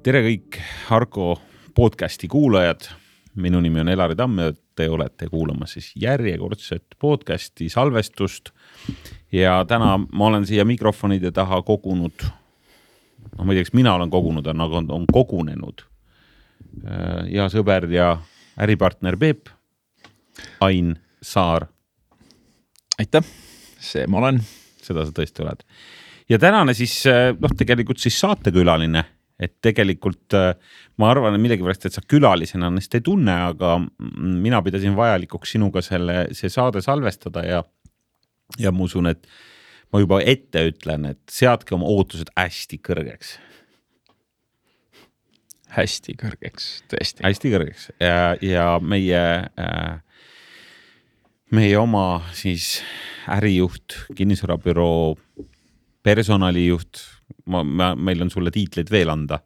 Tere kõik Arko podcasti kuulajad. Minu nimi on Elari Tamm ja te olete kuulama siis järjekordset podcasti salvestust. Ja täna ma olen siia mikrofonide taha kogunud, ma ei tea, kas mina olen kogunud, aga on kogunenud ja sõber ja äripartner Peep, Ain Saar. Aitäh, see ma olen. Seda sa tõesti oled. Ja tänane siis, tegelikult siis saatekülaline, et tegelikult ma arvan, et millegi pärast, et sa külalisena ennast ei tunne, aga mina pidasin vajalikuks sinuga see saade salvestada ja ma usun, et ma juba ette ütlen, et seadke oma ootused hästi kõrgeks. Hästi kõrgeks, tõesti. Hästi kõrgeks ja meie oma siis ärijuht, kinnisvarabüroo, personalijuht, meil on sulle tiitleid veel anda,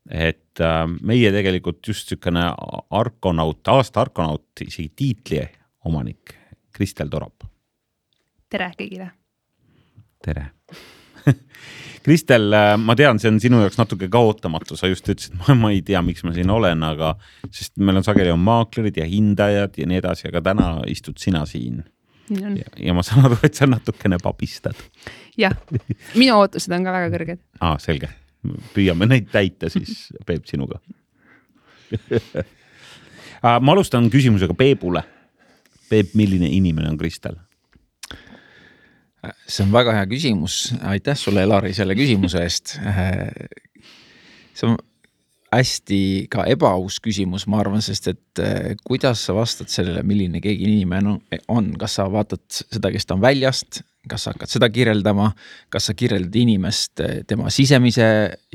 et meie tegelikult just sükene aasta Arkonaut isegi tiitli omanik Kristel Torop. Tere kõigile. Tere. Kristel, ma tean, see on sinu jaoks natuke kaotamatu, sa just ütlesid, ma ei tea, miks ma siin olen, aga sest meil on sageli on maaklerid ja hindajad ja nii edasi, aga täna istud sina siin. Ja ma saan aru, et sa natukene papistad. Jah, minu ootused on ka väga kõrged. Selge. Püüame neid täita siis Peep sinuga. Ma alustan küsimusega Peepule. Peep, milline inimene on Kristel? See on väga hea küsimus. Aitäh sulle, Elari, selle küsimuse eest. See on hästi ka ebaaus küsimus, ma arvan, sest et kuidas sa vastad sellele, milline keegi inimene on? Kas sa vaatad seda, kes ta on väljast? Kas sa hakkad seda kirjeldama? Kas sa kirjeldad inimest tema sisemise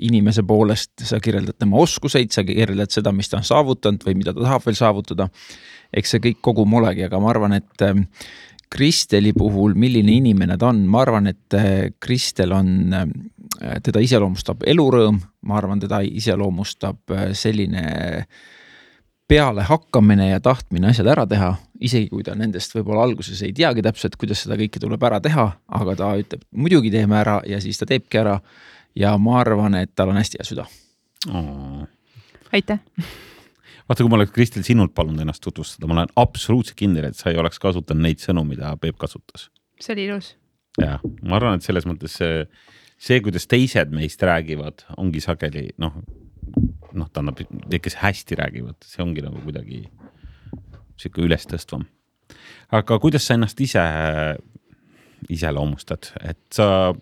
inimese poolest? Sa kirjeldad tema oskuseid? Sa kirjeldad seda, mis ta on saavutanud või mida ta tahab veel saavutada? Eks see kõik kogu molegi, aga ma arvan, et Kristeli puhul, milline inimene ta on? Ma arvan, et Kristel on, teda iseloomustab elurõõm, ma arvan, teda iseloomustab selline peale hakkamine ja tahtmine asjad ära teha, isegi kui ta nendest võib-olla alguses ei teagi täpselt, kuidas seda kõike tuleb ära teha, aga ta ütleb, muidugi teeme ära ja siis ta teebki ära ja ma arvan, et tal on hästi hea süda. Aitäh. Vaata, kui ma oleks Kristel sinult palunud ennast tutvustada, ma olen absoluutselt kindel, et sa ei oleks kasutanud neid sõnu, mida Peep kasutas. See oli ilus. Ja, ma arvan, et selles mõttes see, kuidas teised meist räägivad, ongi sageli, ta annab, kes hästi räägivad, see ongi nagu kuidagi siuke üles tõstvam. Aga kuidas sa ennast ise loomustad? Et sa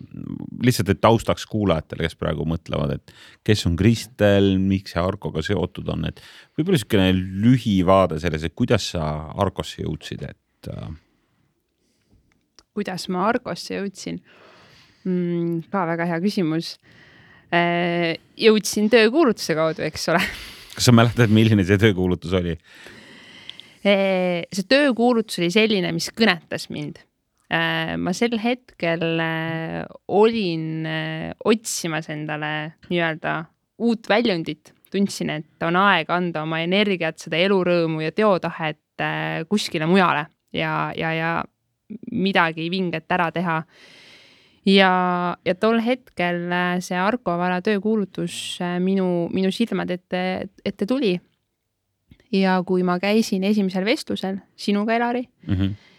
lihtsalt taustaks kuulajatele, kes praegu mõtlevad, et kes on Kristel, miks see Arkoga seotud on, et võib-olla siukene lühivaade selles, et kuidas sa Arkosse jõudsid, et kuidas ma Arkosse jõudsin? Ka väga hea küsimus. Jõudsin töökuulutuse kaudu, eks ole. Kas sa mäletad, milline see töökuulutus oli? See töökuulutus oli selline, mis kõnetas mind. Ma sel hetkel olin otsimas endale nii-öelda uut väljundit. Tundsin, et on aeg anda oma energiat, seda elurõõmu ja teotahet kuskile mujale ja midagi vinget ära teha. Ja tol hetkel see Arko Vara töökuulutus minu silmad ette tuli. Ja kui ma käisin esimesel vestlusel sinuga, Elari,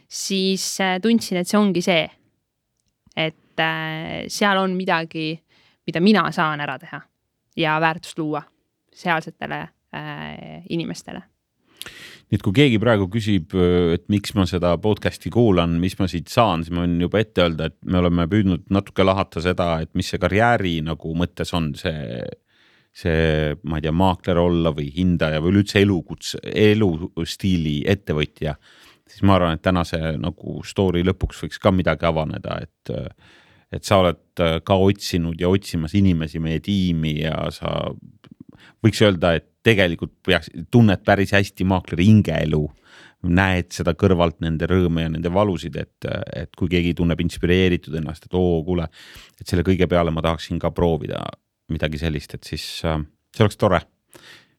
siis tundsin, et see ongi see, et seal on midagi, mida mina saan ära teha ja väärtust luua sealsetele inimestele. Nii et kui keegi praegu küsib, et miks ma seda podcasti kuulan, mis ma siit saan, siis ma võin juba ette öelda, et me oleme püüdnud natuke lahata seda, et mis see karjääri nagu mõttes on see, ma ei tea, maakler olla või hindaja või üldse elustiili ettevõtja. Siis ma arvan, et tänase nagu story lõpuks võiks ka midagi avaneda, et sa oled ka otsinud ja otsimas inimesi meie tiimi ja sa võiks öelda, et tegelikult tunned päris hästi maakleri hingeelu, näed seda kõrvalt nende rõõme ja nende valusid, et kui keegi tunneb inspireeritud ennast, et kuule, et selle kõige peale ma tahaksin ka proovida midagi sellist, et siis see oleks tore.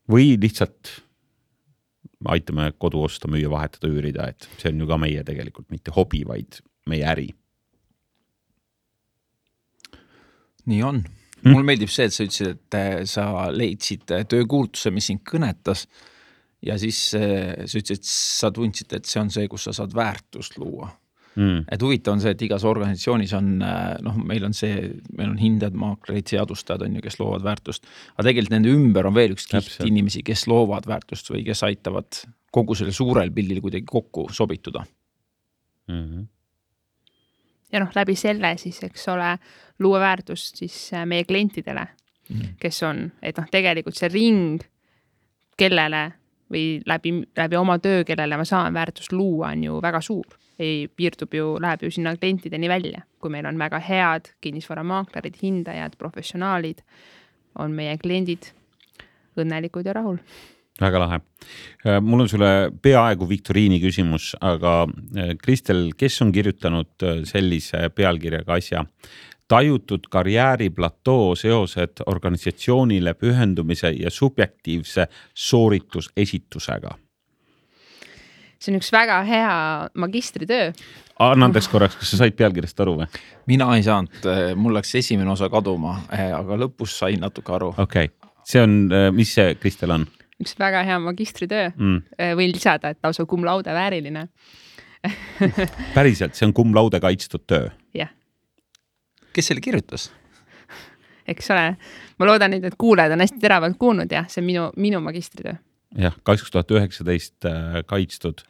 Või lihtsalt aitame kodu osta, müüa, vahetada, üürida, et see on ju ka meie tegelikult mitte hobi, vaid meie äri. Nii on. Mul meeldib see, et sa ütlesid, et sa leidsid töökuulutuse, mis sind kõnetas ja siis sa ütlesid, et sa tundsid, et see on see, kus sa saad väärtust luua. Et huvitav on see, et igas organisatsioonis on, meil on hindajad, maaklerid, seadustajad on ju, kes loovad väärtust, aga tegelikult nende ümber on veel üks kiht inimesi, kes loovad väärtust või kes aitavad kogu selle suurel pildil kuidagi kokku sobituda. Ja läbi selle siis, eks ole, luua väärtust siis meie klientidele, kes on, et tegelikult see ring, kellele või läbi oma töö, kellele ma saan väärtust luua, on ju väga suur. Läheb ju sinna klientideni välja, kui meil on väga head kinnisvaramaaklerid, hindajad, professionaalid, on meie kliendid õnnelikud ja rahul. Väga lahe. Mul on sulle peaaegu viktoriini küsimus, aga Kristel, kes on kirjutanud sellise pealkirjaga asja? Tajutud karjääriplatoo seosed organisatsioonile pühendumise ja subjektiivse sooritusesitusega. See on üks väga hea magistritöö. Anna andeks korraks, kas sa said pealkirjast aru või? Mina ei saanud, mul läks esimene osa kaduma, aga lõpus sain natuke aru. Okei. See on, mis see Kristel on? Üks väga hea magistritöö. Võin lisada, et lausa cum laude vääriline. Päriselt, see on cum laude kaitstud töö? Jah. Kes selle kirjutas? Eks ole, ma loodan, et kuulajad on hästi teravalt kuulnud ja see on minu magistritöö. Jah, 2019 kaitstud.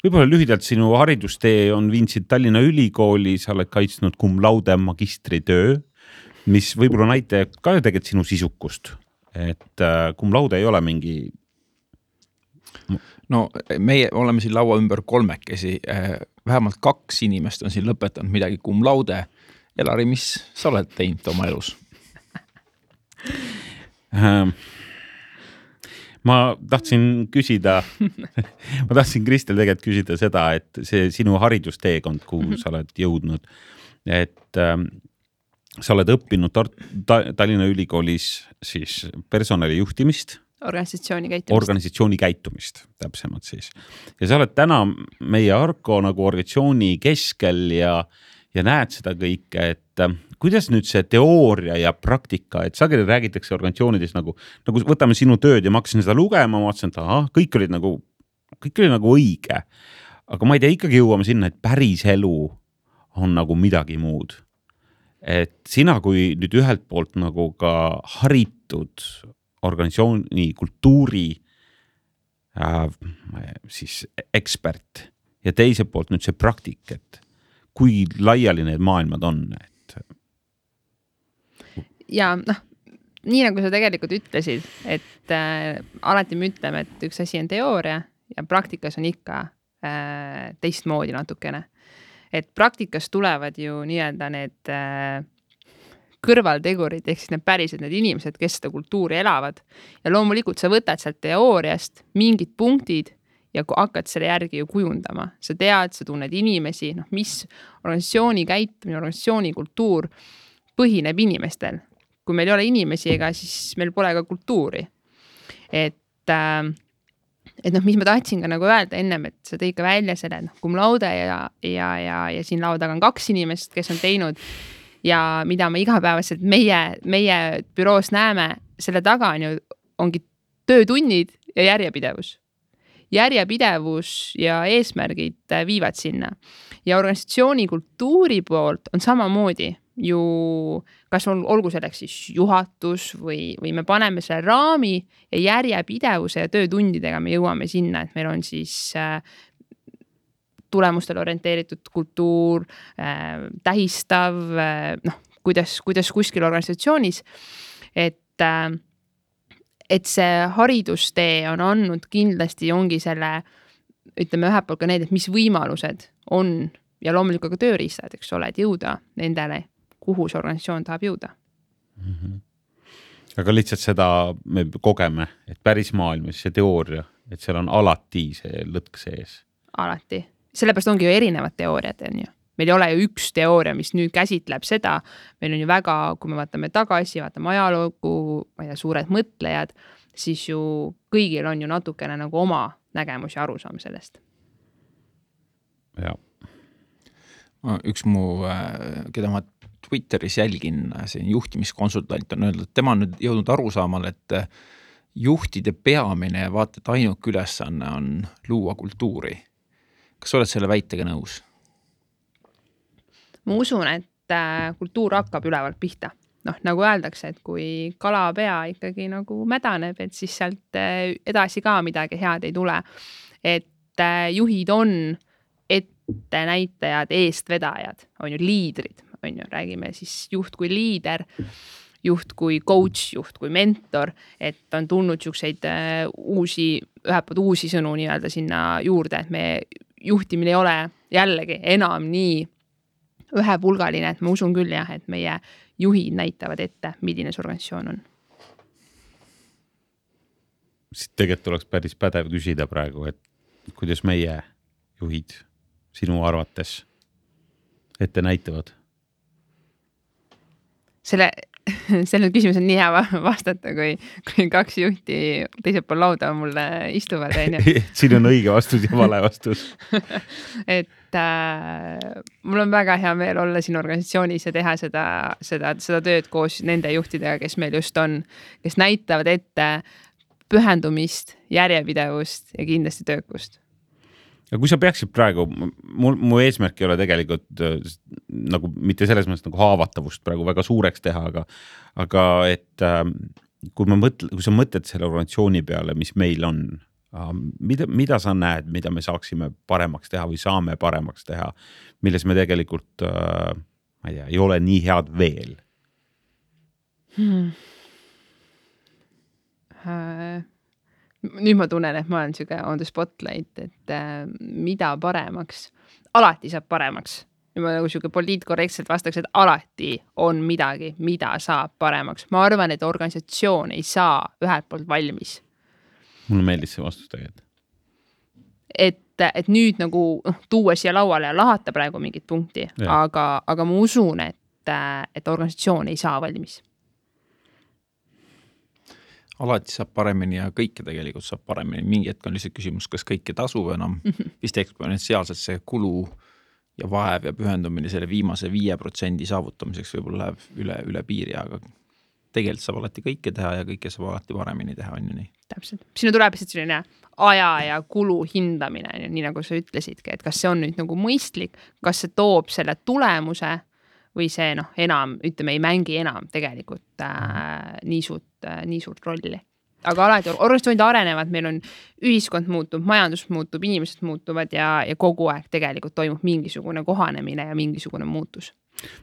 Võib-olla lühidalt sinu haridustee on viinsid Tallinna Ülikooli, sa oled kaitsnud cum laude magistritöö, mis võib-olla näitab ka tegelikult sinu sisukust. Et cum laude ei ole mingi... No meie oleme siin laua ümber kolmekesi, vähemalt 2 inimest on siin lõpetanud midagi cum laude. Elari, mis sa oled teinud oma elus? Ma tahtsin Kristel tegelikult küsida seda, et see sinu haridusteekond, kuhu sa oled jõudnud, et sa oled õppinud Tallinna Ülikoolis siis personali juhtimist, organisatsiooni käitumist täpsemalt siis. Ja sa oled täna meie Arko nagu organisatsiooni keskel ja näed seda kõike, et kuidas nüüd see teooria ja praktika, et sageli räägitakse organisatsioonides nagu võtame sinu tööd ja ma hakkasin seda lugema, ma vaatasin, et kõik oli nagu õige. Aga ma ei tea, ikkagi jõuame sinna, et päris elu on nagu midagi muud. Et sina, kui nüüd ühelt poolt nagu ka haritud organisatsiooni kultuuri siis ekspert ja teiselt poolt nüüd see praktik, et kui laiali need maailmad on, et ja nii nagu sa tegelikult ütlesid, et alati me ütleme, et üks asi on teooria ja praktikas on ikka teistmoodi natukene. Et praktikas tulevad ju nii-öelda need kõrvaltegurid, ehk siis need päriselt need inimesed, kes seda kultuuri elavad. Ja loomulikult sa võtad sealt teooriast mingid punktid ja hakkad selle järgi ju kujundama. Sa tead, sa tunned inimesi, mis organisatsiooni käitumine, organisatsiooni kultuur põhineb inimestel. Kui meil ei ole inimesi ega, siis meil pole ka kultuuri. Et mis ma tahtsin ka nagu öelda ennem, et sa tõi ka välja selle cum laude ja siin laua taga on 2 inimest, kes on teinud ja mida me igapäevaselt meie büroos näeme, selle taga ongi töötunnid ja järjepidevus. Järjepidevus ja eesmärgid viivad sinna. Ja organisatsiooni kultuuri poolt on samamoodi ju, kas olgu selleks siis juhatus või me paneme selle raami ja järjepidevuse ja töötundidega me jõuame sinna, et meil on siis tulemustele orienteeritud kultuur, tähistav, kuidas kuskil organisatsioonis, et see haridustee on andnud kindlasti ongi selle, ütleme ühelt poolt ka need, et mis võimalused on ja loomulikult ka tööriistad, eks ole, et jõuda nendele, kuhu see organisatsioon tahab jõuda. Aga lihtsalt seda me kogeme, et päris maailmas see teooria, et seal on alati see lõtk sees. Alati. Sellepärast ongi ju erinevad teooriad, on ju. Meil ei ole ju üks teooria, mis nüüd käsitleb seda. Meil on ju väga, kui me vaatame tagasi, vaatame ajaloogu ja suured mõtlejad, siis ju kõigil on ju natukene nagu oma nägemus ja arusaam sellest. Ja. Üks keda ma Twitteris jälgin, siin juhtimiskonsultant on öeldud, tema on nüüd jõudnud arusaamale, et juhtide peamine ja vaata, et ainuke ülesanne on luua kultuuri. Kas oled selle väitega nõus? Ma usun, et kultuur hakkab ülevalt pihta. Noh, nagu öeldakse, et kui kalapea ikkagi nagu mädaneb, et siis sealt edasi ka midagi head ei tule. Et juhid on ettenäitajad, eestvedajad, on ju liidrid, on ju, räägime siis juht kui liider, juht kui coach, juht kui mentor, et on tulnud siukseid ühelt poolt uusi sõnu nii-öelda sinna juurde, et me juhtimine ei ole jällegi enam nii ühepulgaline, et ma usun küll jah, et meie juhid näitavad ette, milline see organisatsioon on. Siit tegelikult oleks päris pädev küsida praegu, et kuidas meie juhid sinu arvates ette näitavad? Selle küsimus on nii hea vastata, kui kaks juhti teisel pool lauda mulle istuvad. Siin on õige vastus ja vale vastus. Et mul on väga hea meel olla siin organisatsioonis ja teha seda tööd koos nende juhtidega, kes meil just on, kes näitavad ette pühendumist, järjepidevust ja kindlasti töökust. Ja kui sa peaksid praegu, mu eesmärk ei ole tegelikult nagu mitte selles mõttes nagu haavatavust praegu väga suureks teha, aga et kui sa mõtled selle organisatsiooni peale, mis meil on, mida sa näed, mida me saaksime paremaks teha või saame paremaks teha, milles me tegelikult, ma ei tea, ei ole nii head veel? Nüüd ma tunnen, et ma olen siuke on the spotlight, et mida paremaks, alati saab paremaks. Ja ma nagu siuke poliitkorrektselt vastaks, et alati on midagi, mida saab paremaks. Ma arvan, et organisatsioon ei saa ühelt poolt valmis. Mulle meeldis see vastus tegelikult. Et nüüd nagu tuua siia lauale ja lahata praegu mingit punkti, aga ma usun, et organisatsioon ei saa valmis. Alati saab paremini ja kõike tegelikult saab paremini. Mingi hetk on lihtsalt küsimus, kas kõike tasub enam. Vist eksponentsiaalselt see kulu ja vaev ja pühendumine selle viimase 5% saavutamiseks võib-olla läheb üle piiri, aga tegelikult saab alati kõike teha ja kõike saab alati paremini teha, on ju nii. Täpselt. Sinu tuleb lihtsalt selline aja ja kulu hindamine, nii nagu sa ütlesidki, et kas see on nüüd nagu mõistlik, kas see toob selle tulemuse või see enam, ütleme, ei mängi enam tegelikult nii suurt rolli. Aga alati organisatsioonid arenevad, meil on ühiskond muutub, majandus muutub, inimesed muutuvad ja kogu aeg tegelikult toimub mingisugune kohanemine ja mingisugune muutus.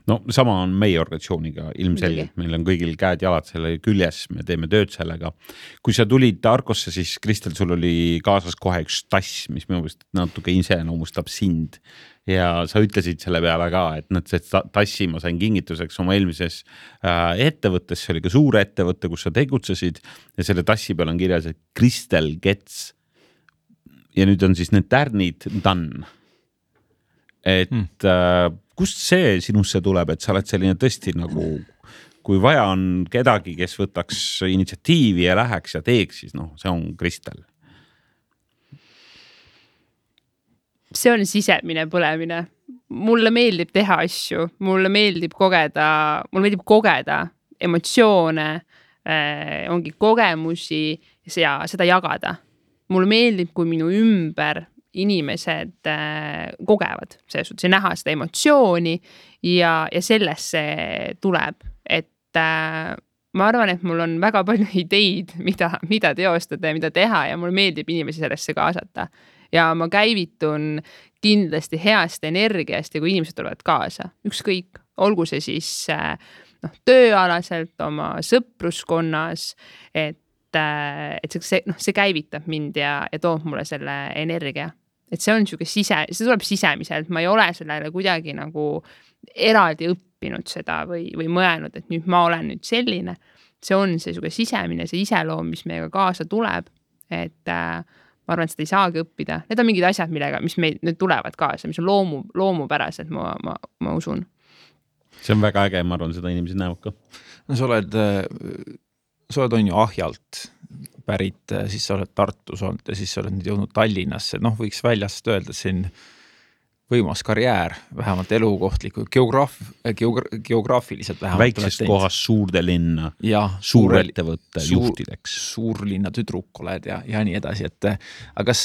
No sama on meie organisatsiooniga ilmselgelt, meil on kõigil käed jalad selle küljes, me teeme tööd sellega. Kui sa tulid Arkosse, siis Kristel, sul oli kaasas kohe üks tass, mis minu meelest natuke iseloomustab sind. Ja sa ütlesid selle peale ka, et see tassi ma sain kingituseks oma eelmises ettevõttes, see oli ka suur ettevõtte, kus sa tegutsesid ja selle tassi peal on kirjas, et Kristel Gets. Ja nüüd on siis need tärnid done. Et kust see sinusse tuleb, et sa oled selline tõesti nagu, kui vaja on kedagi, kes võtaks initsiatiivi ja läheks ja teeks, siis see on Kristel. See on sisemine põlemine. Mulle meeldib teha asju, mulle meeldib kogeda emotsioone, ongi kogemusi ja seda jagada. Mulle meeldib, kui minu ümber inimesed kogevad, see näha seda emotsiooni ja sellest see tuleb, et ma arvan, et mul on väga palju ideid, mida teostada ja mida teha ja mulle meeldib inimesi sellesse kaasata ja ma käivitun kindlasti heast energiast ja kui inimesed tulevad kaasa, ükskõik, olgu see siis tööalaselt oma sõpruskonnas, et see käivitab mind ja toob mulle selle energia. Et see on see tuleb sisemiselt, ma ei ole sellele kuidagi nagu eraldi õppinud seda või mõelnud, et nüüd ma olen nüüd selline. See on see sisemine, see iseloom, mis meiega kaasa tuleb, et ma arvan, et seda ei saagi õppida. Need on mingid asjad, mis meil nüüd tulevad kaasa, mis on loomupärased, ma usun. See on väga äge, ma arvan, seda inimesed näevad ka. No sa oled on ju Ahjalt pärit, siis sa oled Tartus olnud ja siis sa oled nüüd jõudnud Tallinnasse. Võiks väljast öelda siin võimas karjäär, vähemalt elukohtliku, geograafiliselt vähemalt. Väiksest kohast suurde linna, suurettevõtte juhtideks. Suurlinna tüdruk oled ja nii edasi, et aga kas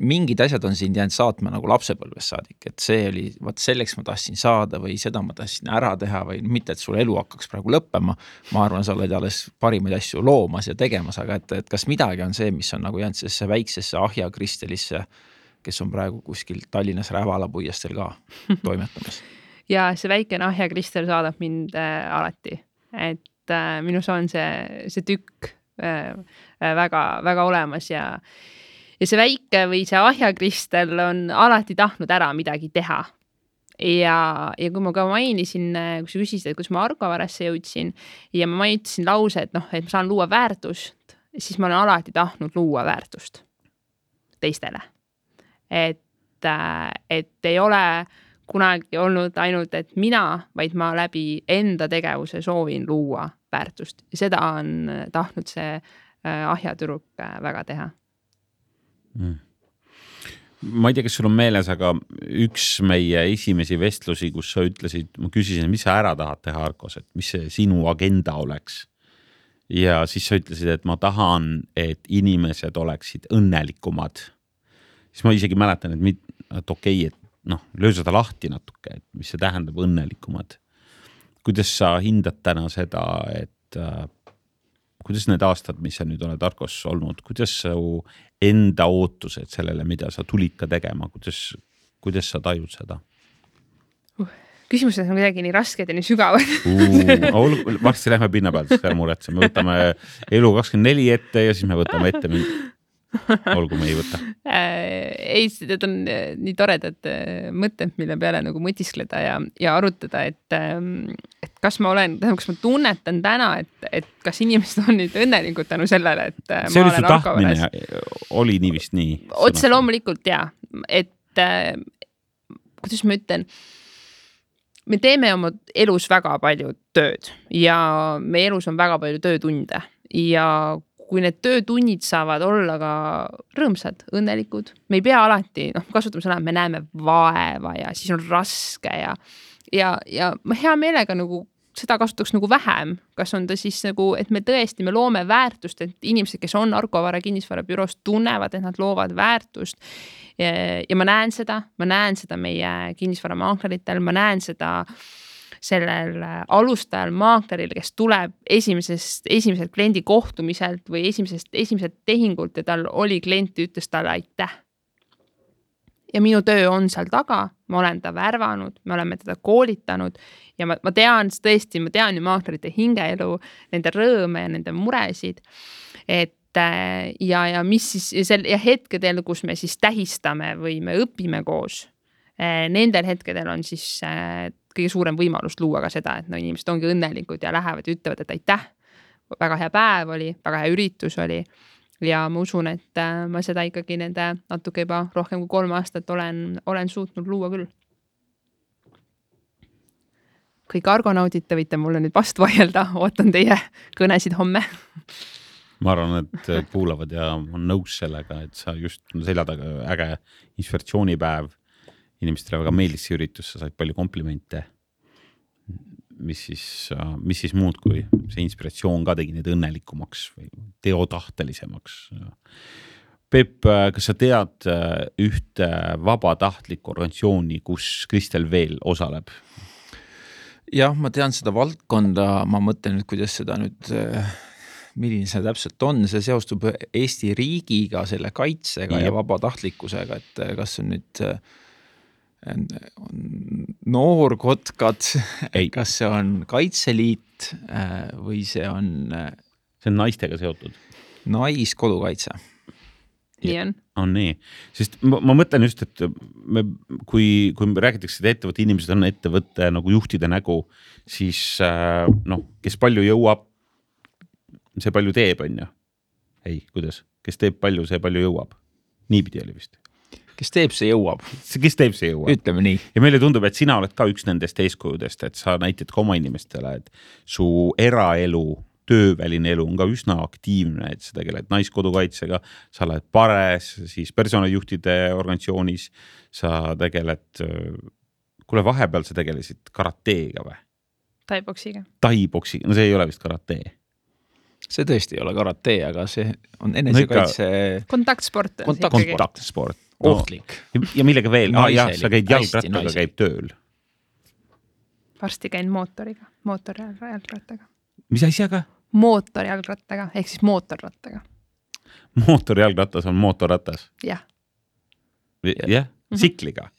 mingid asjad on sind jäänud saatma nagu lapsepõlvest saadik, et see oli, vaat selleks ma tahtsin saada või seda ma tahtsin ära teha või mitte, et sul elu hakkaks praegu lõppema, ma arvan, sa oled alles parimaid asju loomas ja tegemas, aga et kas midagi on see, mis on nagu jäänud sellesse väiksesse Ahja Kristelisse, kes on praegu kuskil Tallinnas Rävalapuiestel ka toimetamas. Ja see väikene Ahja Kristel saadab mind alati, et minus on see tükk väga, väga olemas ja see väike või see Ahja Kristel on alati tahtnud ära midagi teha. Ja kui ma ka mainisin, kui sa küsisid, et kus ma Argovarasse jõudsin ja ma mainisin lause, et ma saan luua väärtust, siis ma olen alati tahtnud luua väärtust teistele. Et ei ole kunagi olnud ainult, et mina, vaid ma läbi enda tegevuse soovin luua väärtust. Ja seda on tahtnud see Ahja tüdruk väga teha. Ma ei tea, kas sul on meeles, aga üks meie esimesi vestlusi, kus sa ütlesid, ma küsisin, mis sa ära tahad teha Arkos, et mis see sinu agenda oleks. Ja siis sa ütlesid, et ma tahan, et inimesed oleksid õnnelikumad. Siis ma isegi mäletan, et okei, et löö seda lahti natuke, et mis see tähendab õnnelikumad. Kuidas sa hindad täna seda, et kuidas need aastad, mis sa nüüd oled Arkos olnud, kuidas su enda ootused sellele, mida sa tulid ka tegema, kuidas sa tajud seda? Küsimused on kuidagi nii rasked ja nii sügavad. Varsti lähme pinna pealt, siis muretse. Me võtame elu 24 ette ja siis me võtame ette olgu me ei võta. Ei, need on nii toredad mõtted, mille peale nagu mõtiskleda ja arutada, et kas ma tunnetan täna, et kas inimesed on nüüd õnnelikud tänu sellele, et see ma oli su tahtmine, oli nii vist nii? Otse loomulikult ja, et kuidas ma ütlen, me teeme oma elus väga palju tööd ja meie elus on väga palju töötunde ja kui need töötunnid saavad olla ka rõõmsad, õnnelikud, me ei pea alati, kasutame sõna, me näeme vaeva ja siis on raske ja ma hea meelega nagu seda kasutaks nagu vähem, kas on ta siis nagu, et me tõesti, me loome väärtust, et inimesed, kes on Argovara kinnisvarabüroos, tunnevad, et nad loovad väärtust ja ma näen seda meie kinnisvaramaakeritel, ma näen seda sellel alustajal maakleril, kes tuleb esimesel kliendi kohtumiselt või esimesed tehingult ja tal oli klient, ütles talle aitäh. Ja minu töö on seal taga, ma olen ta värvanud, me oleme teda koolitanud ja ma tean ju maaklerite hingeelu, nende rõõme ja nende muresid, et ja mis siis ja hetkedel, kus me siis tähistame või me õpime koos, nendel hetkedel on siis kõige suurem võimalus luua ka seda, et inimesed ongi õnnelikud ja lähevad ja ütlevad, et aitäh, väga hea päev oli, väga hea üritus oli ja ma usun, et ma seda ikkagi nende natuke juba rohkem kui 3 aastat olen suutnud luua küll. Kõik argonaudid, te võite mulle nüüd vastu vaielda, ootan teie kõnesid homme. Ma arvan, et kuulavad ja on nõus sellega, et sa just selja taga äge inspiratsioonipäev, inimestele väga meeldis see üritus, sa said palju komplimente, mis siis muud kui see inspiratsioon ka tegi neid õnnelikumaks või teotahtelisemaks. Peep, kas sa tead ühte vabatahtlikku organisatsiooni, kus Kristel veel osaleb? Jah, ma tean seda valdkonda, ma mõtlen nüüd, kuidas seda nüüd, milline see täpselt on, see seostub Eesti riigiga, selle kaitsega ja vabatahtlikkusega, et kas on nüüd noorkotkad, kas see on Kaitseliit või see on naistega seotud. Naiskodukaitse. Nii on. On nii, sest ma mõtlen just, et kui räägitakse, et ettevõtte inimesed on ettevõtte nagu juhtide nägu, siis kes palju jõuab, see palju teeb, on ju. Ei, kuidas? Kes teeb palju, see palju jõuab. Niipidi oli vist. Kes teeb, see jõuab. Kes teeb, see jõuab. Ütleme nii. Ja meile tundub, et sina oled ka üks nendest eeskujudest, et sa näitad ka oma inimestele, et su eraelu tööväline elu on ka üsna aktiivne, et sa tegeled naiskodukaitsega, sa oled pares, siis personalijuhtide organisatsioonis, sa tegeled, kuule vahepeal sa tegelesid karateega või? Taiboksiga, no see ei ole vist karatee. See tõesti ei ole karatee, aga see on enesekaitse... Kontaktsport. Kontaktsport. Ohtlik. Ja millega veel? Jah, sa käid jalgrattaga, käib tööl. Varsti käin mootorjalgrattaga. Mis asjaga? Mootorjalgrattaga, ehk siis mootorrattaga. Mootorjalgratas on mootorratas? Jah. Jah, sikliga?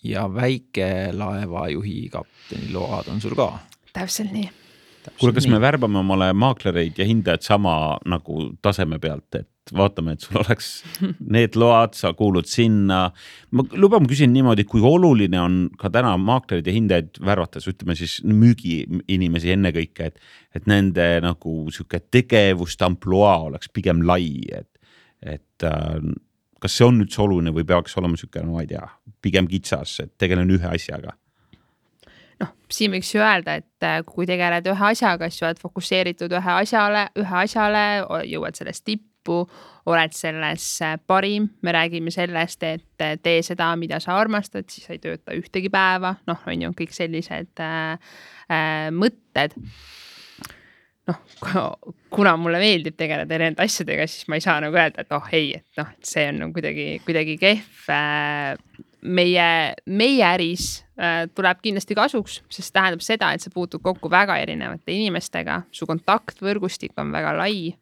Ja väikelaevajuhi kapteni load on sul ka? Täpselt nii. Kuule, kas me värbame omale maaklereid ja hindajad sama nagu taseme pealt, et vaatame, et sul oleks need load, sa kuulud sinna. Ma lubam küsin niimoodi, kui oluline on ka täna maaklerid ja hindajaid värvates, ütleme siis müügi inimesi ennekõike, et nende nagu siuke tegevust amploa oleks pigem lai, et kas see on üldse oluline või peaks olema siuke, no ma ei tea, pigem kitsas, et tegelen ühe asjaga? Siin võiks ju öelda, et kui tegeled ühe asjaga, siis oled fokusseeritud ühe asjale, jõuad sellest tippu, oled selles parim, me räägime sellest, et tee seda, mida sa armastad, siis ei tööta ühtegi päeva, on ju kõik sellised mõtted. Kuna mulle meeldib tegeleda erinevate asjadega, siis ma ei saa nagu öelda, et see on kuidagi kehv. Meie äris tuleb kindlasti kasuks, sest tähendab seda, et sa puutud kokku väga erinevate inimestega, su kontaktvõrgustik on väga lai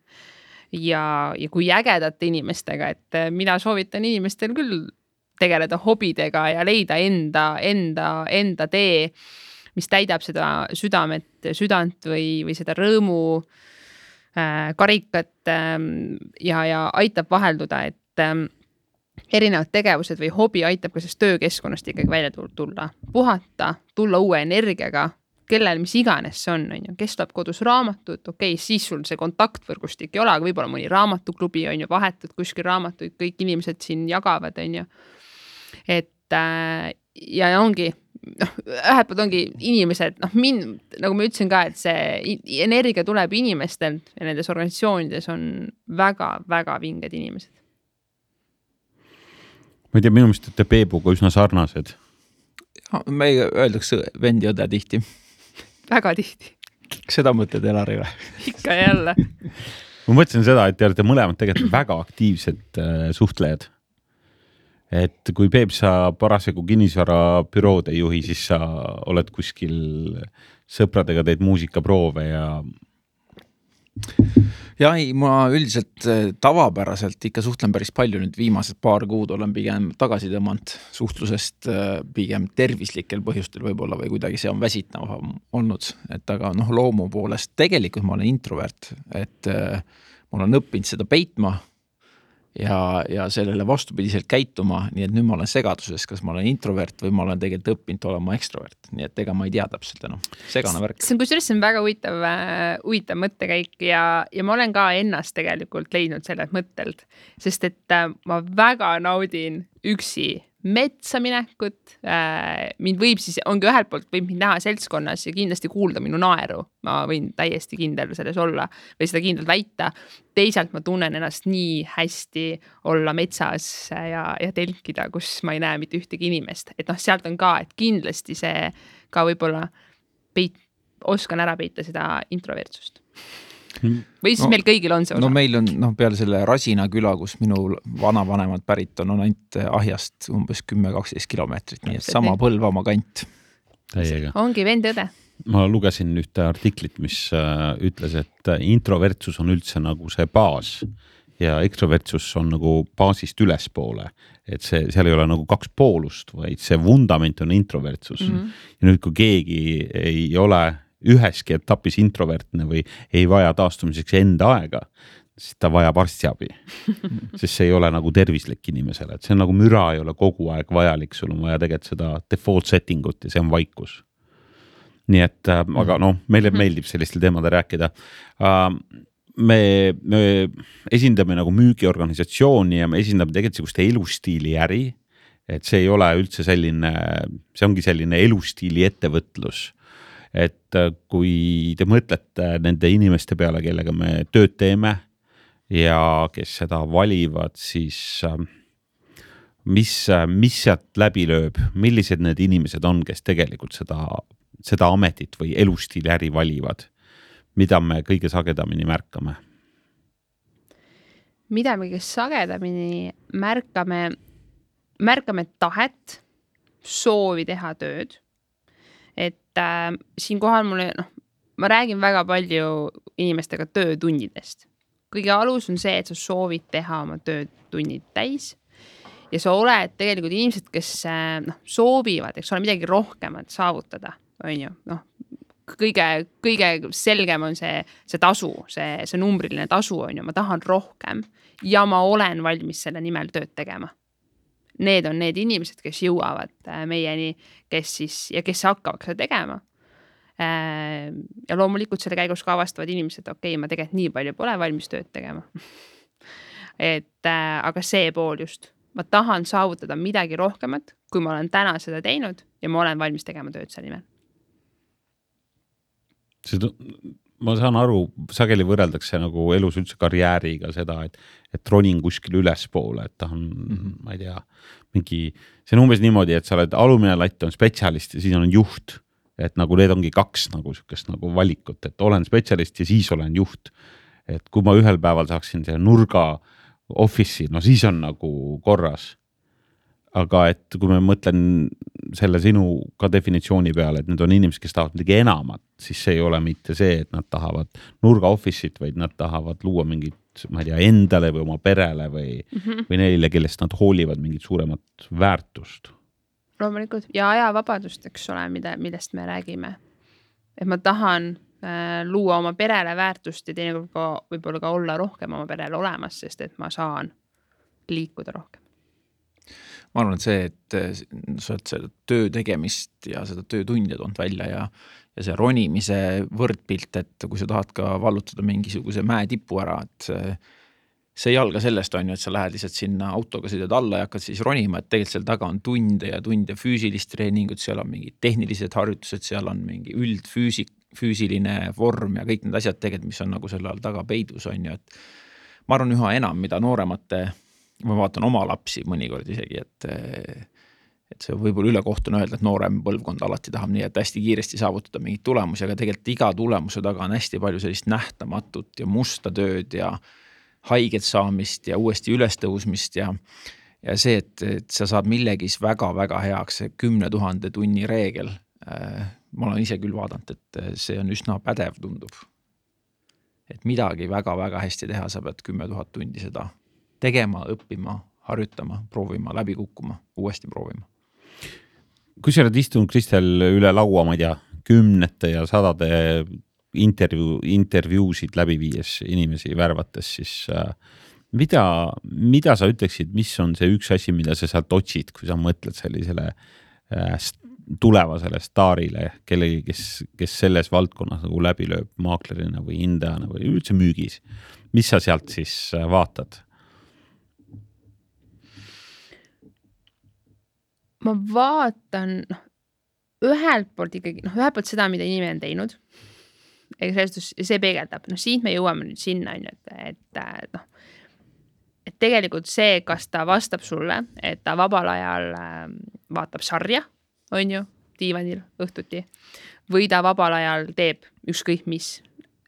ja kui ägedate inimestega, et mina soovitan inimestel küll tegeleda hobidega ja leida enda tee, mis täidab seda südant või seda rõõmu karikat ja aitab vahelduda, et erinevad tegevused või hobi aitab ka sellest töökeskkonnast ikkagi välja tulla, puhata, tulla uue energiaga, kellel mis iganes see on, kes tuleb kodus raamatut, siis sul see kontaktvõrgustik ei ole, aga võib-olla mõni raamatuklubi on ju vahetud kuskil raamatuid, kõik inimesed siin jagavad, on ju. Et ja ongi, ühelt poolt ongi inimesed, nagu ma ütlesin ka, et see energia tuleb inimestelt ja nendes organisatsioonides on väga-väga vinged inimesed. Ma ei tea, minu meelest, et Peebuga üsna sarnased. Me öeldakse vend ja õde tihti. Väga tihti. Seda mõtled Elari või? Ikka jälle. Ma mõtlesin seda, et te olete mõlemad tegelikult väga aktiivsed suhtlejad. Et kui Peep sa parasjagu kinnisvara bürood ei juhi, siis sa oled kuskil sõpradega teed muusikaproove ja... Ja ei, ma üldiselt tavapäraselt ikka suhtlen päris palju, nüüd viimased paar kuud olen pigem tagasi tõmmanud suhtlusest pigem tervislikel põhjustel võib-olla või kuidagi see on väsitav olnud, et aga loomu poolest tegelikult ma olen introvert, et mul on õppinud seda peitma ja sellele vastupidiselt käituma, nii et nüüd ma olen segaduses, kas ma olen introvert või ma olen tegelikult õppinud olema ekstrovert, nii et ega ma ei tea täpselt segane värk. See on väga huvitav mõttekäik ja ma olen ka ennast tegelikult leidnud sellelt mõttelt, sest et ma väga naudin üksi metsa minekut, mind võib siis, ongi ühelt poolt võib mind näha seltskonnas ja kindlasti kuulda minu naeru, ma võin täiesti kindel selles olla või seda kindlalt väita, teisalt ma tunnen ennast nii hästi olla metsas ja telkida, kus ma ei näe mitte ühtegi inimest, et sealt on ka, et kindlasti see ka võib-olla oskan ära peita seda introvertsust. Või siis meil kõigil on see osa? Meil on peale selle Rasina küla, kus minu vanavanemad pärit on ainult Ahjast umbes 10-12 kilomeetrit, nii et sama Põlvamaa kant. Täiega. Ongi vend õde. Ma lugesin ühte artiklit, mis ütles, et introvertsus on üldse nagu see baas ja ekstrovertsus on nagu baasist ülespoole, et seal ei ole nagu kaks poolust, vaid see vundament on introvertsus. Ja nüüd, kui keegi ei ole üheski etapis introvertne või ei vaja taastumiseks enda aega, siis ta vajab arstiabi. Sest see ei ole nagu tervislik inimesele, et see on nagu müra ei ole kogu aeg vajalik, sul on vaja tegelikult seda default settingut ja see on vaikus. Nii et, aga meile meeldib sellistel teemade rääkida. Me esindame nagu müügiorganisatsiooni ja me esindame tegelikult sellist elustiili äri, et see ei ole üldse selline, see ongi selline elustiili ettevõtlus. et kui te mõtlete nende inimeste peale, kellega me tööd teeme ja kes seda valivad, siis mis sealt läbi lööb, millised need inimesed on, kes tegelikult seda ametit või elustiili äri valivad, mida me kõige sagedamini märkame? Mida me kõige sagedamini märkame tahet, soovi teha tööd. Et siinkohal ma räägin väga palju inimestega töötunnidest. Kõige alus on see, et sa soovid teha oma töötunnid täis ja sa oled tegelikult inimesed, kes soovivad, eks ole, midagi rohkemat saavutada, on ju, kõige selgem on see tasu, see numbriline tasu on ju, ma tahan rohkem ja ma olen valmis selle nimel tööd tegema. Need on need inimesed, kes jõuavad meieni, kes hakkavad seda tegema. Ja loomulikult selle käigus ka avastavad inimesed, okei, ma tegelikult nii palju pole valmis tööd tegema. Aga see pool just, ma tahan saavutada midagi rohkemat, kui ma olen täna seda teinud ja ma olen valmis tegema tööd selle nimel. Ma saan aru, sageli võrreldakse nagu elus üldse karjääriga seda, et ronin kuskil ülespoole, et ta on, ma ei tea, see on umbes niimoodi, et sa oled alumine latt on spetsialist ja siis on juht, et nagu need ongi kaks nagu sükest nagu valikut, et olen spetsialist ja siis olen juht. Et kui ma ühel päeval saaksin selle nurga office'i, no siis on nagu korras. Aga et kui me mõtlen selle sinu ka definitsiooni peale, et need on inimesed, kes tahavad midagi enamat, siis see ei ole mitte see, et nad tahavad nurga office'it, vaid nad tahavad luua mingit, ma ei tea, endale või oma perele või neile, kellest nad hoolivad mingit suuremat väärtust. Loomulikult ja ajavabadust, eks ole, millest me räägime. Et ma tahan luua oma perele väärtust ja teinekord ka võib-olla ka olla rohkem oma perele olemas, sest et ma saan liikuda rohkem. Ma arvan, et see, et sa oled seda töö tegemist ja seda töötundja toonud välja ja see ronimise võrdpilt, et kui sa tahad ka vallutada mingisuguse mäetipu ära, et see ei alga sellest on ju, et sa lähed lihtsalt sinna autoga sõidad alla ja hakkad siis ronima, et tegelikult seal taga on tunde ja tunde füüsilist treeningut, seal on mingid tehnilised harjutused, seal on mingi üldfüüsiline vorm ja kõik need asjad tegelikult, mis on nagu selle all taga peidus on ju, et ma arvan üha enam, mida nooremate ma vaatan oma lapsi mõnikord isegi, et see võib-olla ülekohtune öelda, et noorem põlvkond alati tahab nii, et hästi kiiresti saavutada mingid tulemusi, aga tegelikult iga tulemuse taga on hästi palju sellist nähtamatut ja musta tööd ja haiget saamist ja uuesti ülestõusmist ja see, et sa saad millegis väga-väga heaks, see 10 000 tunni reegel. Ma olen ise küll vaadanud, et see on üsna pädev tundub. Et midagi väga-väga hästi teha, sa pead 10 000 tundi seda tegema, õppima, harjutama, proovima, läbi kukkuma, uuesti proovima. Kui sa oled istunud, Kristel, üle laua, ma ei tea, 10 ja 100 intervjuusid läbi viies inimesi värvates, siis mida sa ütleksid, mis on see üks asi, mida sa sealt otsid, kui sa mõtled sellisele tulevasele staarile, kellegi, kes selles valdkonnas nagu läbi lööb maaklerina või hindajana või üldse müügis. Mis sa sealt siis vaatad? Ma vaatan ühelt poolt ikkagi, ühelt poolt seda, mida inimene on teinud. See peegeldab. Siin me jõuame nüüd sinna, et tegelikult see, kas ta vastab sulle, et ta vabal ajal vaatab sarja, on ju, diivanil õhtuti, või ta vabal ajal teeb ükskõik mis.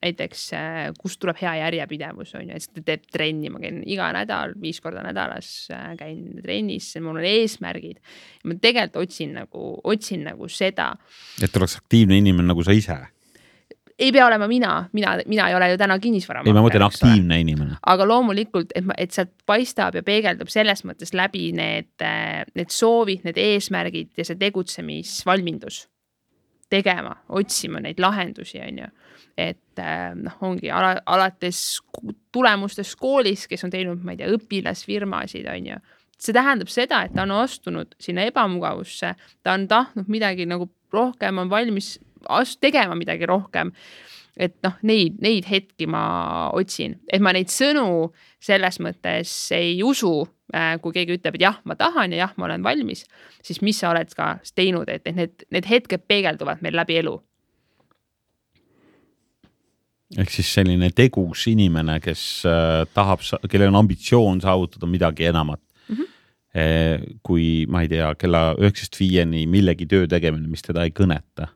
Näiteks, kust tuleb hea järjepidevus, on ju, et ta teeb trenni, ma käin iga nädal, 5 korda nädalas käin trennis, mul on eesmärgid. Ja ma tegelikult otsin nagu seda. Et oleks aktiivne inimene nagu sa ise? Ei pea olema mina ei ole ju täna kinnisvara. Ei, ma mõtlen aktiivne inimene. Aga loomulikult, et sealt paistab ja peegeldub selles mõttes läbi need soovid, need eesmärgid ja see tegutsemisvalmindus tegema, otsima neid lahendusi, on ju. Et ongi alates tulemustes koolis, kes on teinud, ma ei tea, õpilasfirmasid, on ju. See tähendab seda, et ta on astunud sinna ebamugavusse, ta on tahtnud midagi nagu rohkem, on valmis tegema midagi rohkem. Et neid hetki ma otsin, et ma neid sõnu selles mõttes ei usu, kui keegi ütleb, et jah, ma tahan ja jah, ma olen valmis, siis mis sa oled ka teinud, et need hetked peegelduvad meil läbi elu. ehk siis selline tegus inimene, kes tahab, kellel on ambitsioon saavutada midagi enamat. Kui ma ei tea, kella 9-5 millegi töö tegemine, mis teda ei kõneta.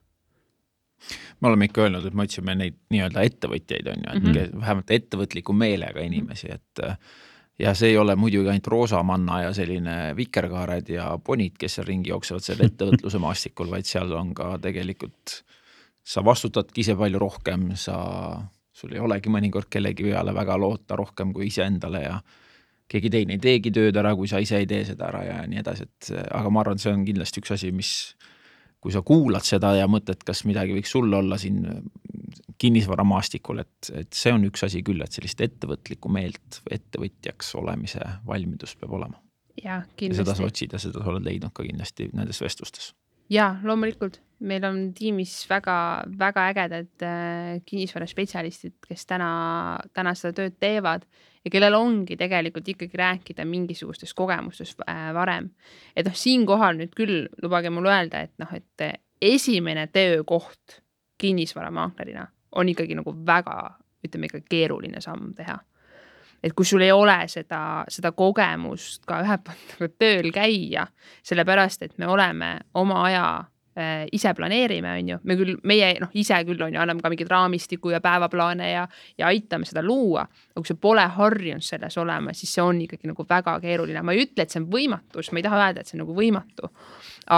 Me oleme ikka öelnud, et me otsime neid nii-öelda ettevõtjaid on ju, et vähemalt ettevõtliku meelega inimesi, et ja see ei ole muidugi ainult roosamanna ja selline vikerkaared ja ponid, kes seal ringi jooksevad selle ettevõtluse maastikul, vaid seal on ka tegelikult, sa vastutadki ise palju rohkem, sul ei olegi mõnikord kellegi peale väga loota rohkem kui ise endale ja keegi teine ei teegi tööd ära, kui sa ise ei tee seda ära ja nii edasi, aga ma arvan, see on kindlasti üks asi, mis kui sa kuulad seda ja mõtled, kas midagi võiks sul olla siin kinnisvaramaastikul, et see on üks asi küll, et sellist ettevõtlikku meelt ettevõtjaks olemise valmidus peab olema. Ja seda sa otsid ja seda sa oled leidnud ka kindlasti nendes vestlustes. Ja, loomulikult. Meil on tiimis väga, väga ägedad kinnisvara spetsialistid, kes täna seda tööd teevad ja kellel ongi tegelikult ikkagi rääkida mingisugustest kogemustest varem. Et siin kohal nüüd küll lubage mul öelda, et esimene töökoht kinnisvaramaaklerina on ikkagi nagu väga, ütleme ikka keeruline samm teha. Et kui sul ei ole seda kogemust ka ühe poolt tööl käia, sellepärast, et me oleme oma aja ise planeerime, on ju. Meie ise küll on ju, anname ka mingid raamistiku ja päevaplaane ja aitame seda luua. Aga kui see pole harjunud selles olema, siis see on ikkagi nagu väga keeruline. Ma ei ütle, et see on võimatus, ma ei taha öelda, et see on nagu võimatu,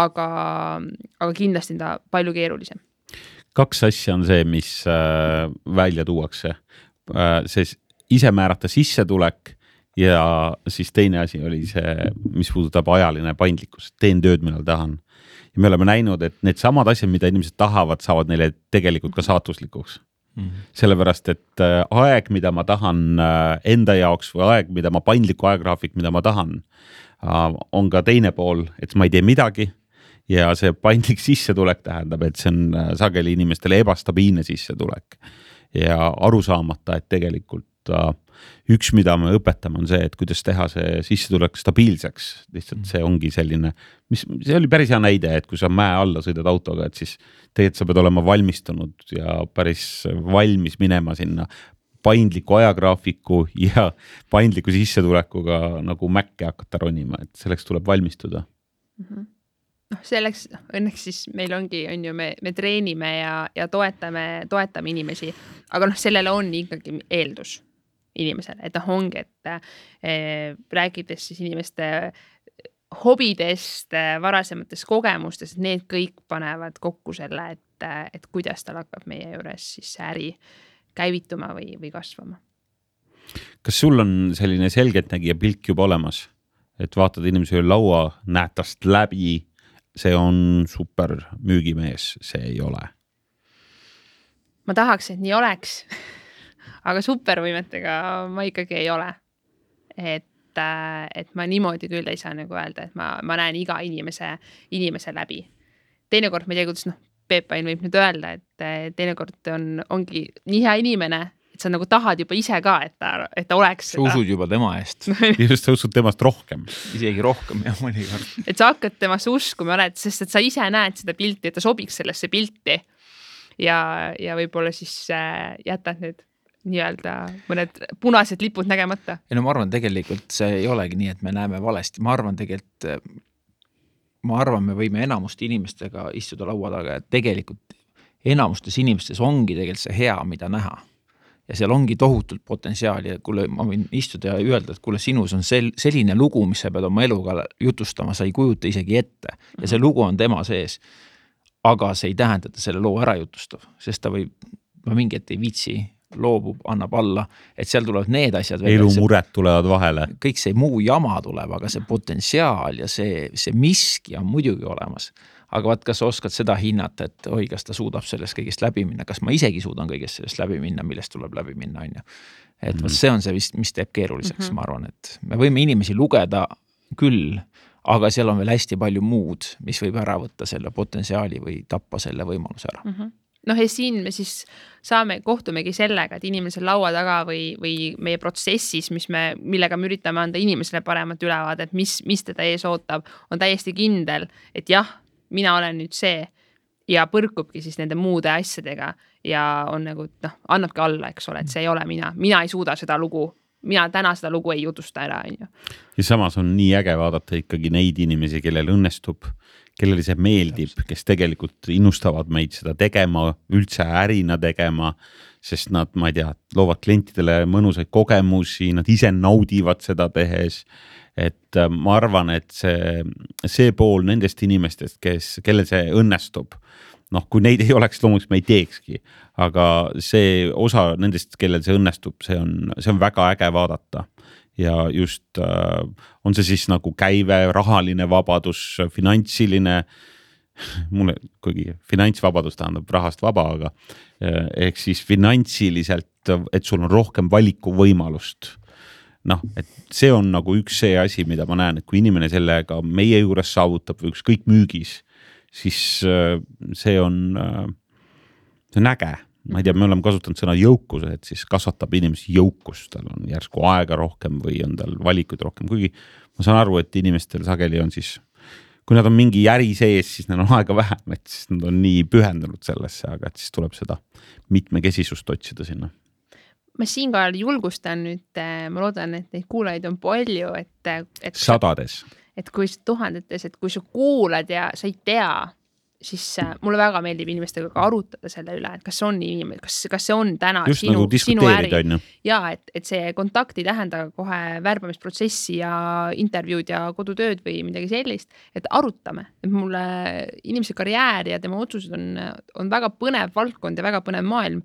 aga kindlasti on ta palju keerulisem. 2 asja on see, mis välja tuuakse. See ise määrata sissetulek ja siis teine asi oli see, mis puudutab ajaline paindlikkus. Teen tööd, millal tahan. Ja me oleme näinud, et need samad asjad, mida inimesed tahavad, saavad neile tegelikult ka saatuslikuks. Sellepärast, et aeg, mida ma tahan enda jaoks või aeg, mida ma paindliku ajagraafik, mida ma tahan, on ka teine pool, et ma ei tee midagi ja see paindlik sissetulek tähendab, et see on sageli inimestele ebastabiilne sissetulek ja aru saamata, et tegelikult üks, mida me õpetame, on see, et kuidas teha see sissetulek stabiilseks. Lihtsalt see ongi selline, see oli päris hea näide, et kui sa mäe alla sõidad autoga, et siis tegelikult sa pead olema valmistunud ja päris valmis minema sinna paindliku ajagraafiku ja paindliku sissetulekuga nagu mäkke hakata ronima, et selleks tuleb valmistuda. Selleks õnneks siis meil ongi, on ju, me treenime ja toetame inimesi, aga sellele on ikkagi eeldus inimesele, et ongi, et rääkides siis inimeste hobidest, varasematest kogemustest, need kõik panevad kokku selle, et kuidas tal hakkab meie juures siis äri käivituma või kasvama. Kas sul on selline selgeltnägija pilk juba olemas, et vaatad inimese laua, näed tast läbi, see on super müügimees, see ei ole? Ma tahaks, et nii oleks, aga supervõimetega ma ikkagi ei ole. Et ma niimoodi küll ei saa nagu öelda, et ma näen iga inimese läbi. Teinekord ma ei tea, kuidas Peep Ain võib nüüd öelda, et teinekord ongi nii hea inimene, et sa nagu tahad juba ise ka, et ta oleks seda. Sa usud juba tema eest. Just sa usud temast rohkem. Isegi rohkem ja mõnikord. Et sa hakkad temast uskuma, sest et sa ise näed seda pilti, et ta sobiks sellesse pilti ja võib-olla siis jätad need nii-öelda mõned punased lipud nägemata. Ja ma arvan, tegelikult see ei olegi nii, et me näeme valesti. Ma arvan, me võime enamuste inimestega istuda laua taga, et tegelikult enamustes inimestes ongi tegelikult see hea, mida näha. Ja seal ongi tohutult potentsiaali, et kuule, ma võin istuda ja öelda, et kuule, sinus on selline lugu, mis sa pead oma eluga jutustama, sa ei kujuta isegi ette. Ja see lugu on tema sees. Aga see ei tähenda, et selle loo ära jutustav, sest ta võib mingi ette ei viitsi, loobub, annab alla, et seal tulevad need asjad. Elumured tulevad vahele. Kõik see muu jama tuleb, aga see potentsiaal ja see miski on muidugi olemas. Aga vaat, kas oskad seda hinnata, et oi, kas ta suudab sellest kõigest läbi minna, kas ma isegi suudan kõigest sellest läbi minna, millest tuleb läbi minna, on ju. Et see on see vist, mis teeb keeruliseks, ma arvan, et me võime inimesi lugeda küll, aga seal on veel hästi palju muud, mis võib ära võtta selle potentsiaali või tappa selle võimaluse ära. Ja siin me siis kohtumegi sellega, et inimesel laua taga või meie protsessis, millega me üritame anda inimesele paremat ülevaade, et mis teda ees ootab, on täiesti kindel, et jah, mina olen nüüd see ja põrkubki siis nende muude asjadega ja on nagu, annabki alla, eks ole, et see ei ole mina ei suuda seda lugu, mina täna seda lugu ei jutusta ära, on ju. Ja samas on nii äge vaadata ikkagi neid inimesi, kellel õnnestub, kellele see meeldib, kes tegelikult innustavad meid seda tegema, üldse ärina tegema, sest nad, ma ei tea, loovad klientidele mõnusaid kogemusi, nad ise naudivad seda tehes. Et ma arvan, et see pool nendest inimestest, kellel see õnnestub, kui neid ei oleks, loomulikult me ei teekski, aga see osa nendest, kellel see õnnestub, see on väga äge vaadata. Ja just on see siis nagu käive, rahaline vabadus, finantsiline, mulle kuigi finantsvabadus tähendab rahast vaba, aga ehk siis finantsiliselt, et sul on rohkem valikuvõimalust. Et see on nagu üks see asi, mida ma näen, et kui inimene sellega meie juures saavutab või ükskõik müügis, siis see on äge. Ma ei tea, me oleme kasutanud sõna jõukus, et siis kasvatab inimesi jõukust, tal on järsku aega rohkem või on tal valikuid rohkem, kuigi ma saan aru, et inimestel sageli on siis, kui nad on mingi äri sees, siis neil on aega vähem, et siis nad on nii pühendunud sellesse, aga et siis tuleb seda mitmekesisust otsida sinna. Ma siinkohal julgustan nüüd, ma loodan, et neid kuulajaid on palju, et sadades. Et kui tuhandetes, et kui sa kuulad ja sa ei tea, siis mulle väga meeldib inimestega ka arutada selle üle, et kas see on inimene, kas see on täna just sinu, nagu sinu äri. On ju. Ja, et see kontakt ei tähenda kohe värbamisprotsessi ja intervjuud ja kodutööd või midagi sellist, et arutame. Et mulle inimese karjäär ja tema otsused on väga põnev valdkond ja väga põnev maailm.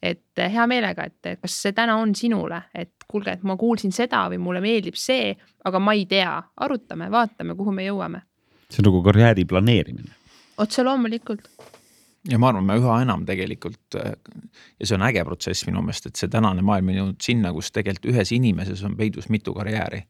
Et hea meelega, et kas see täna on sinule, et kuulge, et ma kuulsin seda või mulle meeldib see, aga ma ei tea. Arutame, vaatame, kuhu me jõuame. See on nagu karjääri planeerimine. Otse loomulikult. Ja ma arvan, me üha enam tegelikult, ja see on äge protsess minu meelest, et see tänane maailm on jõudnud sinna, kus tegelikult ühes inimeses on peidus mitu karjääri.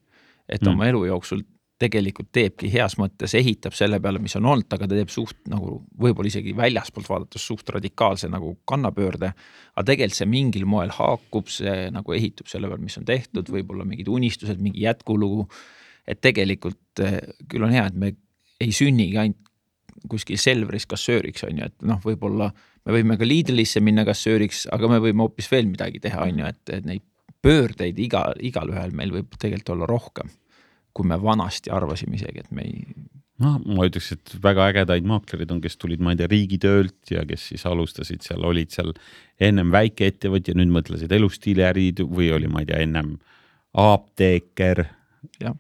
Et oma elu jooksul tegelikult teebki heas mõttes, ehitab selle peale, mis on olnud, aga ta teeb suht nagu võib-olla isegi väljaspoolt vaadates suht radikaalse nagu kannapöörde, aga tegelikult see mingil moel haakub, see nagu ehitub selle peale, mis on tehtud, võib-olla mingid unistused, mingi jätkulugu, et tegelikult küll on hea, et me ei sünnigi ainult kuskil Selveris kassööriks, on ju, et võib-olla me võime ka Lidlisse minna kassööriks, aga me võime hoopis veel midagi teha, on ju, et neid pöördeid igal ühel meil võib tegelikult olla rohkem, kui me vanasti arvasime isegi, et me ei... ma ütleks, et väga ägedaid maaklerid on, kes tulid, ma ei tea, riigitöölt ja kes siis alustasid seal, olid seal ennem väikeettevõtja, nüüd mõtlesid elustiiliärid või oli, ma ei tea, ennem apteeker. Jah.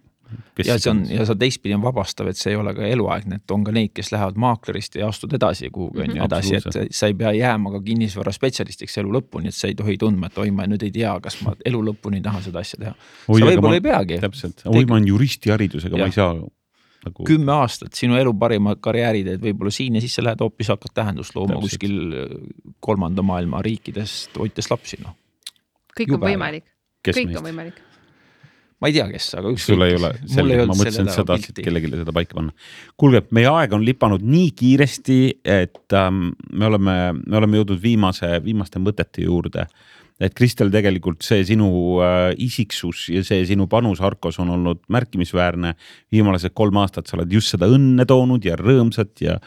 Ja see teistpidi on vabastav, et see ei ole ka eluaegne, et on ka neid, kes lähevad maaklerist ja astud edasi kuhugi on ju edasi, et sa ei pea jääma ka kinnisvara spetsialistiks elu lõpuni, et sa ei tohi tundma, et ma nüüd ei tea, kas ma elu lõpuni tahan seda asja teha. Sa võib-olla ei peagi. Täpselt, ma olen juristi haridusega, ma ei saa nagu... 10 aastat sinu elu parima karjäärid, et võib-olla siin ja siis sa lähed hoopis hakkad tähendust looma kuskil 3. maailma riikidest hoites lapsi. Kõik on võimalik. Kõik on võimalik. Ma ei tea, kes, aga üks sul ei ole selge, ma mõtlesin, et sa tahtsid kellelegi seda paika panna. Kuulge, meie aeg on lipanud nii kiiresti, et me oleme jõudnud viimaste mõtete juurde. Et Kristel, tegelikult see sinu isiksus ja see sinu panus Arkos on olnud märkimisväärne. Viimased 3 aastat sa oled just seda õnne toonud ja rõõmsat ja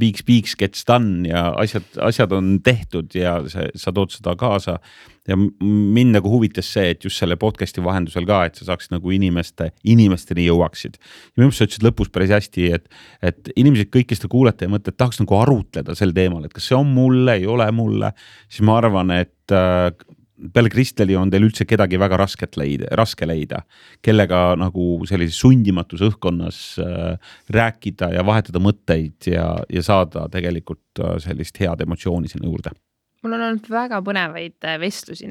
piiks, gets done ja asjad on tehtud ja sa tood seda kaasa. Ja mind nagu huvitas see, et just selle podcasti vahendusel ka, et sa saaksid nagu inimesteni jõuaksid. Ja minu sa ütlesid lõpus päris hästi, et inimesed kõik, kes te kuulete ja mõtled, et tahaks nagu arutleda sel teemal, et kas see on mulle, ei ole mulle, siis ma arvan, et peale Kristeli on teil üldse kedagi väga raske leida, kellega nagu sellises sundimatus õhkkonnas rääkida ja vahetada mõtteid ja saada tegelikult sellist head emotsiooni sinna juurde. Mul on olnud väga põnevaid vestlusi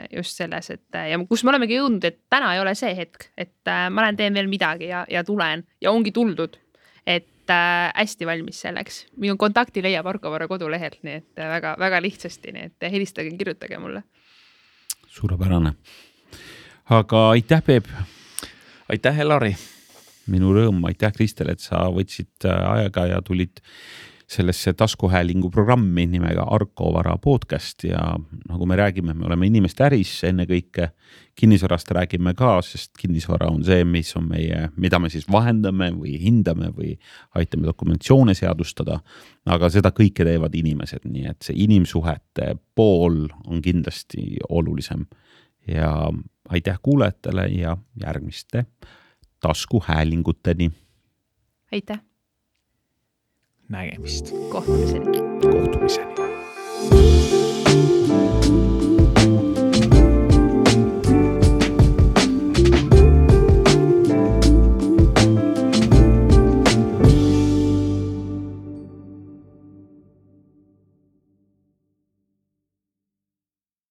just selles, et ja kus me olemegi jõudnud, et täna ei ole see hetk, et ma teen veel midagi ja tulen ja ongi tuldud, et hästi valmis selleks. Minu kontakti leiab Arkovara kodulehelt, nii et väga, väga lihtsasti, nii et helistage, kirjutage mulle. Suurepärane. Aga aitäh, Peep. Aitäh, Elari. Minu rõõm, aitäh, Kristel, et sa võtsid aega ja tulid sellesse taskuhäälingu programmi nimega Arko Vara podcast ja nagu me räägime, me oleme inimeste äris ennekõike, kinnisvarast räägime ka, sest kinnisvara on see, mis on mida me siis vahendame või hindame või aitame dokumentatsioone seadustada, aga seda kõike teevad inimesed, nii et see inimsuhete pool on kindlasti olulisem ja aitäh kuulajatele ja järgmiste taskuhäälinguteni. Aitäh! Nägemist. Kohtumiseni. Kohtumiseni.